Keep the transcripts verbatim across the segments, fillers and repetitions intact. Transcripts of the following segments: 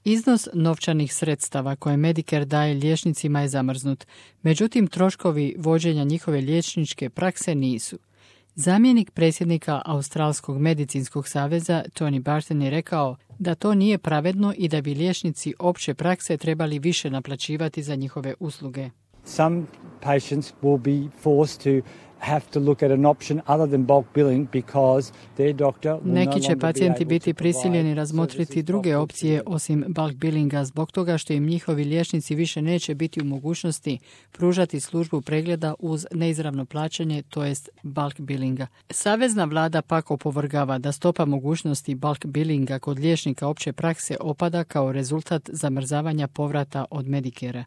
Iznos novčanih sredstava koje Medicare daje liječnicima je zamrznut, međutim troškovi vođenja njihove liječničke prakse nisu. Zamjenik predsjednika Australskog medicinskog saveza Tony Barton je rekao da to nije pravedno i da bi liječnici opće prakse trebali više naplaćivati za njihove usluge. Some patients will be forced to have to look at an option other than bulk billing because their doctor will no Neki će longer be pacijenti able biti to prisiljeni provide razmotriti services druge of bulk opcije billing. osim bulk billinga zbog toga što im njihovi liječnici više neće biti u mogućnosti pružati službu pregleda uz neizravno plaćanje, to jest bulk billinga. Savezna vlada pak opovrgava da stopa mogućnosti bulk billinga kod liječnika opće prakse opada kao rezultat zamrzavanja povrata od Medicare-a.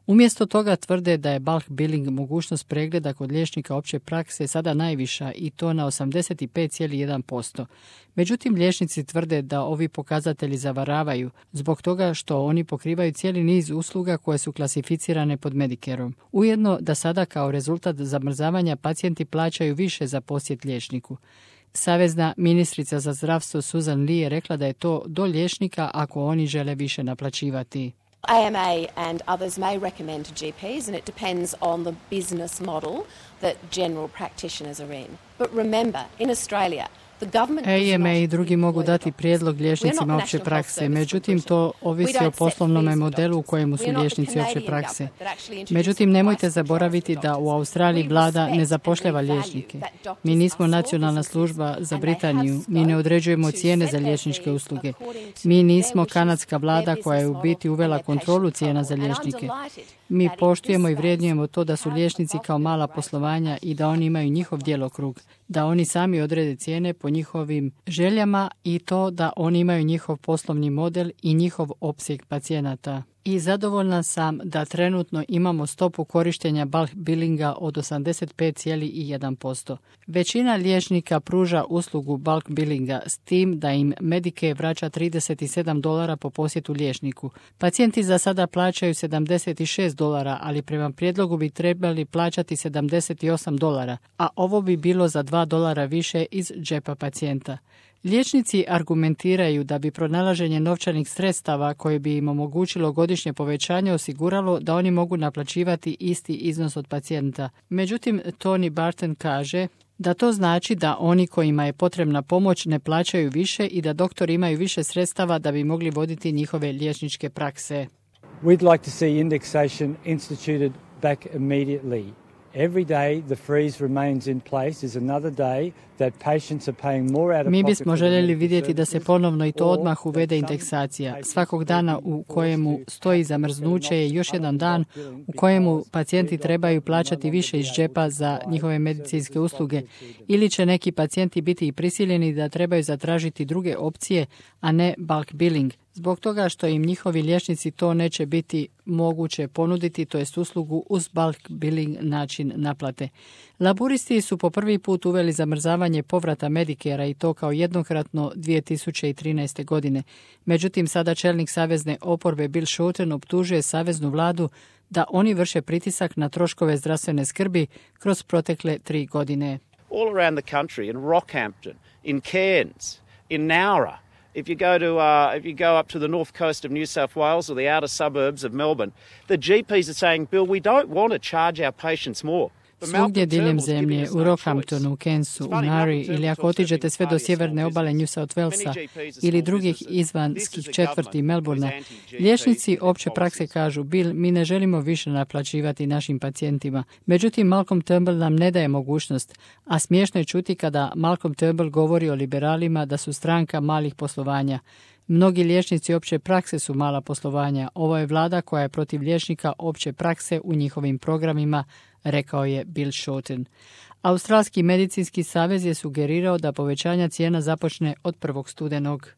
Umjesto toga tvrde da je bulk billing mogućnost pregleda kod liječnika opće prakse sada najviša i to na osamdeset pet zarez jedan posto. Međutim, liječnici tvrde da ovi pokazatelji zavaravaju zbog toga što oni pokrivaju cijeli niz usluga koje su klasificirane pod Medicareom. Ujedno da sada kao rezultat zamrzavanja pacijenti plaćaju više za posjet liječniku. Savezna ministrica za zdravstvo Susan Lee je rekla da je to do liječnika ako oni žele više naplaćivati. A M A and others may recommend to G Ps, and it depends on the business model that general practitioners are in. But remember, in Australia, the government A M A i drugi mogu dati prijedlog liječnicima opće prakse, međutim to ovisi o poslovnom modelu u kojemu su liječnici opće prakse. Međutim, nemojte zaboraviti da u Australiji vlada ne zapošljava liječnike. Mi nismo nacionalna služba za Britaniju, mi ne određujemo cijene za liječničke usluge. Mi nismo kanadska vlada koja je u biti uvela kontrolu cijena za liječnike. Mi poštujemo i vrijednujemo to da su liječnici kao mala poslovanja i da oni imaju njihov djelokrug, da oni sami odrede cijene po njihovim željama i to da oni imaju njihov poslovni model i njihov opseg pacijenata. I zadovoljna sam da trenutno imamo stopu korištenja bulk billinga od osamdeset pet zarez jedan posto. Većina liječnika pruža uslugu bulk billinga s tim da im Medicare vraća trideset sedam dolara po posjetu liječniku. Pacijenti za sada plaćaju sedamdeset šest dolara, ali prema prijedlogu bi trebali plaćati sedamdeset osam dolara, a ovo bi bilo za dva dolara više iz džepa pacijenta. Liječnici argumentiraju da bi pronalaženje novčanih sredstava koje bi im omogućilo godišnje povećanje osiguralo da oni mogu naplaćivati isti iznos od pacijenta. Međutim, Tony Barton kaže da to znači da oni kojima je potrebna pomoć ne plaćaju više i da doktori imaju više sredstava da bi mogli voditi njihove liječničke prakse. We'd like to see indexation instituted back immediately. Every day the freeze remains in place is another day that patients are paying more out of pocket. Mi bismo željeli vidjeti da se ponovno i to odmah uvede indeksacija. Svakog dana u kojemu stoji zamrznuće je još jedan dan u kojemu pacijenti trebaju plaćati više iz džepa za njihove medicinske usluge ili će neki pacijenti biti i prisiljeni da trebaju zatražiti druge opcije, a ne bulk billing. Zbog toga što im njihovi liječnici to neće biti moguće ponuditi, to jest uslugu uz bulk billing način naplate. Laburisti su po prvi put uveli zamrzavanje povrata Medicare-a i to kao jednokratno dvije tisuće trinaeste. godine. Međutim, sada čelnik savezne oporbe Bill Shorten optužuje saveznu vladu da oni vrše pritisak na troškove zdravstvene skrbi kroz protekle tri godine. All around the country, in Rockhampton, in Cairns, in Nowra, If you go to uh, if you go up to the north coast of New South Wales or the outer suburbs of Melbourne, the G Ps are saying, Bill, we don't want to charge our patients more. Svugdje diljem zemlje, u Rockhamptonu, u Cairnsu, u Nari ili ako otiđete sve do sjeverne obale New South Walesa ili drugih izvanskih četvrti Melbourna, liječnici opće prakse kažu, Bill, mi ne želimo više naplaćivati našim pacijentima. Međutim, Malcolm Turnbull nam ne daje mogućnost, a smiješno je čuti kada Malcolm Turnbull govori o liberalima da su stranka malih poslovanja. Mnogi liječnici opće prakse su mala poslovanja. Ovo je vlada koja je protiv liječnika opće prakse u njihovim programima, rekao je Bill Shorten. Australski medicinski savez je sugerirao da povećanja cijena započne od prvog studenog.